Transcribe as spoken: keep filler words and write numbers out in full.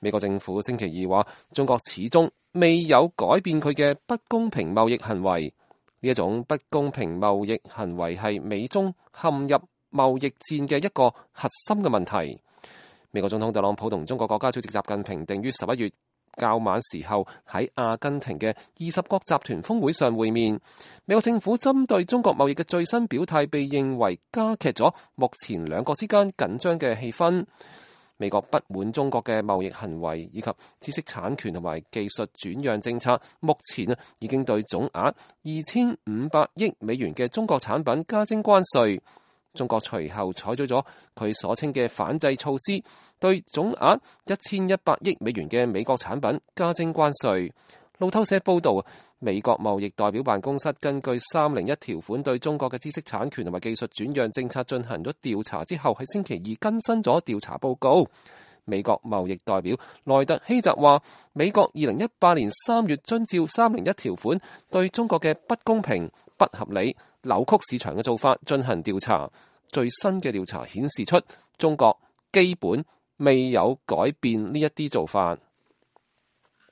美國政府星期二話，中國始終未有改變佢嘅不公平貿易行為。呢一種不公平貿易行為係美中陷入貿易戰嘅一個核心嘅問題。美國總統特朗普同中國國家主席習近平定於十一月較晚時候喺阿根廷嘅二十國集團峰會上會面。美國政府針對中國貿易嘅最新表態被認為加劇咗目前兩國之間緊張嘅氣氛。美國不滿中國嘅貿易行為以及知識產權同埋技術轉讓政策，目前啊已經對總額二千五百億美元嘅中國產品加徵關稅。中國隨後採取咗佢所稱嘅反制措施，對總額一千一百億美元嘅美國產品加徵關稅。路透社報道，美國貿易代表辦公室根據三零一條款對中國嘅知識產權同埋技術轉讓政策進行咗調查之後，喺星期二更新咗調查報告。美國貿易代表萊特希澤話，美國二零一八年三月遵照三零一條款對中國嘅不公平、不合理、扭曲市場嘅做法進行調查。最新嘅調查顯示出，中國基本未有改變呢一啲做法。